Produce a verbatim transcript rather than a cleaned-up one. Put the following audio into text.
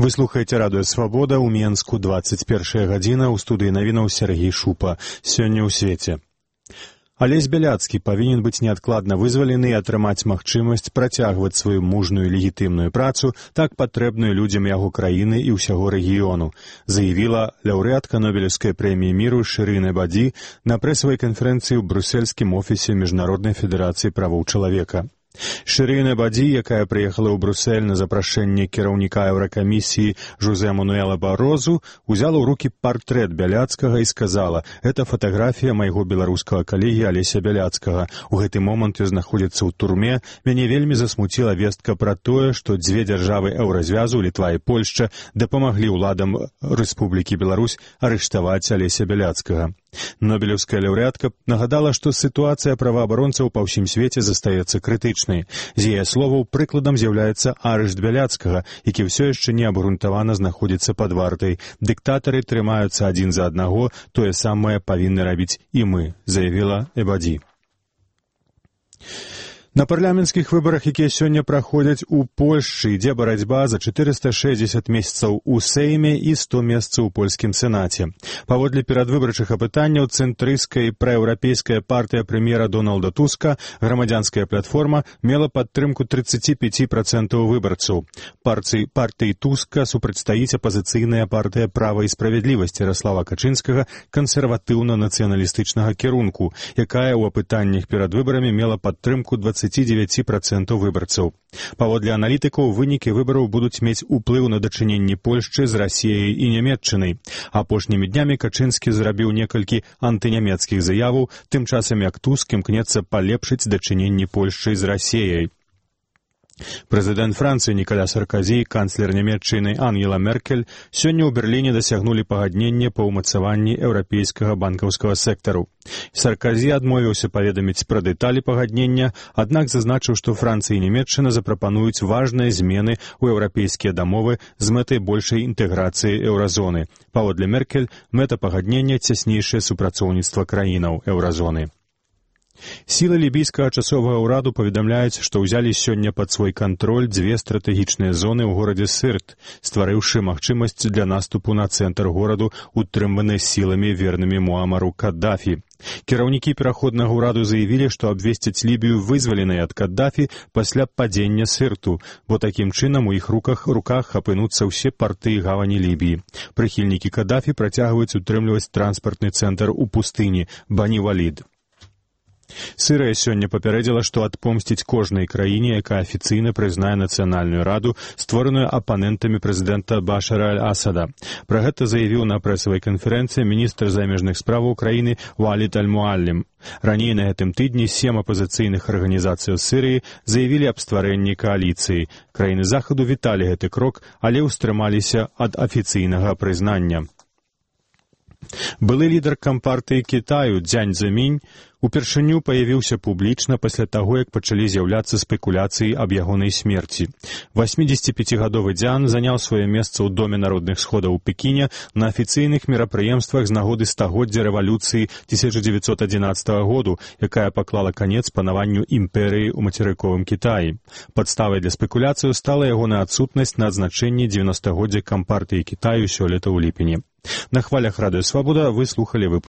Вы слухаеце радыё «Свабода» ў Менску, дваццаць першая гадзіна, ў студыі навінаў Сергей Шупа. Сёння ў свеце. Алесь Бяляцкі павінен быць неадкладна вызвалены і атрымаць магчымасць працягваць сваю мужную легітымную працу, так патрэбную людзям яго краіны і ўсяго рэгіёну, заявіла лаўрэатка Нобелеўскай прэміі міру Шырын Эбаді на прэсавай канферэнцыі ў брусельскім офісе Міжнароднай федэрацыі правоў чалавека. Шырын Эбаді, якая прыехала ў Брусель на запрашэнне кіраўніка Еўракамісіі Жозе Мануэла Барозу, узяла ў рукі партрэт Бяляцкага і сказала: «Это фатаграфія майго беларускага калегі Алеся Бяляцкага. У гэты момант ён знаходзіцца ў турме. Мяне вельмі засмуціла вестка пра тое, што дзве дзяржавы еўразвязу, Літва і Польшча, дапамаглі ўладам Рэспублікі Беларусь арыштаваць Алеся Бяляцкага». Нобелеўская лаўрэатка нагадала, што сітуацыя праваабаронцаў па ўсім свеце застаецца крытычнай. З яе словаў, прыкладам з'яўляецца арышт Бяляцкага, які ўсё яшчэ неабгрунтавана знаходзіцца пад вартай. Дыктатары трымаюцца адзін за аднаго, тое самае павінны рабіць і мы, заявіла Эбаді. На парламенцкіх выбарах, якія сёння праходзяць у Польшчы, ідзе барацьба за чатырыста шэсцьдзесят месцаў у Сейме і сто месцаў у польскім сенаце. Паводле перадвыбарчых апытанняў цэнтрысцкая і праеўрапейская партыя прэм'ера Дональда Туска, грамадзянская платформа, мела падтрымку тридцать пять процентов выбарцаў. Партыі, партыі Туска супрацьстаіць апазіцыйная партыя «Права і справядлівасць» Яраслава Качынскага кансерватыўна-нацыяналістычнага кірунку, якая ў апытаннях перад выбарамі мела падтрымку двадцать девять процентов выбарцаў. Паводле аналітыкаў, вынікі выбараў будуць мець уплыў на дачыненні Польшчы з Расіяй і Нямецчынай. Апошнімі днямі Качынскі зрабіў некалькі антынямецкіх заяваў, тым часам як Туск імкнецца палепшыць дачыненні Польшчы з Расіяй. Прэзідэнт Францыі Ніколя Саркозі і канцлер Нямецчыны Ангела Меркель сёння ў Берліне дасягнулі пагаднення па ўмацаванні еўрапейскага банкаўскага сектару. Саркозі адмовіўся паведаміць пра дэталі пагаднення, аднак зазначыў, што Францыя і Нямецчына запрапануюць важныя змены ў еўрапейскія дамовы з мэтай большай інтэграцыі еўразоны. Паводле Меркель, мэта пагаднення цяснейшае супрацоўніцтва краінаў еўразоны. Сілы лібійскага часовага ўраду паведамляюць, што ўзялі сёння пад свой кантроль дзве стратэгічныя зоны ў горадзе Сырт, стварыўшы магчымасць для наступу на цэнтр гораду, утрыманы сіламі вернымі Муамару Каддафі. Кіраўнікі пераходнага ўраду заявілі, што абвесцяць Лібію вызваленай ад Каддафі пасля падзення Сырту, бо такім чынам у іх руках руках апынуцца ўсе парты і гавані Лібіі. Прыхільнікі Каддафі працягваюць утрымліваць транспартны цэнтр у пустыні Бані-Валід. Сырыя сёння папярэдзіла, што адпомсціць кожнай краіне, якая афіцыйна прызнае нацыянальную раду, створаную апанентамі прэзідэнта Башара аль-Асада. Пра гэта заявіў на прэсавай канферэнцыі міністр замежных справаў краіны Валід аль-Муаллім. Раней на гэтым тыдні сем апазіцыйных арганізацый у Сырыі заявілі аб стварэнні кааліцыі. Краіны Захаду віталі гэты крок, але ўстрымаліся ад афіцыйнага прызнання. Былы лідар кампартыі Кітаю Дзянь Зэмінь упершыню паявіўся публічна пасля таго, як пачалі з'яўляцца спекуляцыі аб ягонай смерці. восьмідзесятіпяцігадовы Дзян заняў сваё месца ў Доме народных сходаў у Пекіне на афіцыйных мерапрыемствах з нагоды стагоддзя рэвалюцыі тысяча дзевяцьсот адзінаццатага году, якая паклала канец панаванню імперыі ў мацерыковым Кітаі. Падставай для спекуляцыяў стала ягоная адсутнасць на адзначэнні дзевяностагоддзя кампартыі Кітаю сёлета ў ліпені. На хвалях радыё «Свабода» вы слухалі выпуск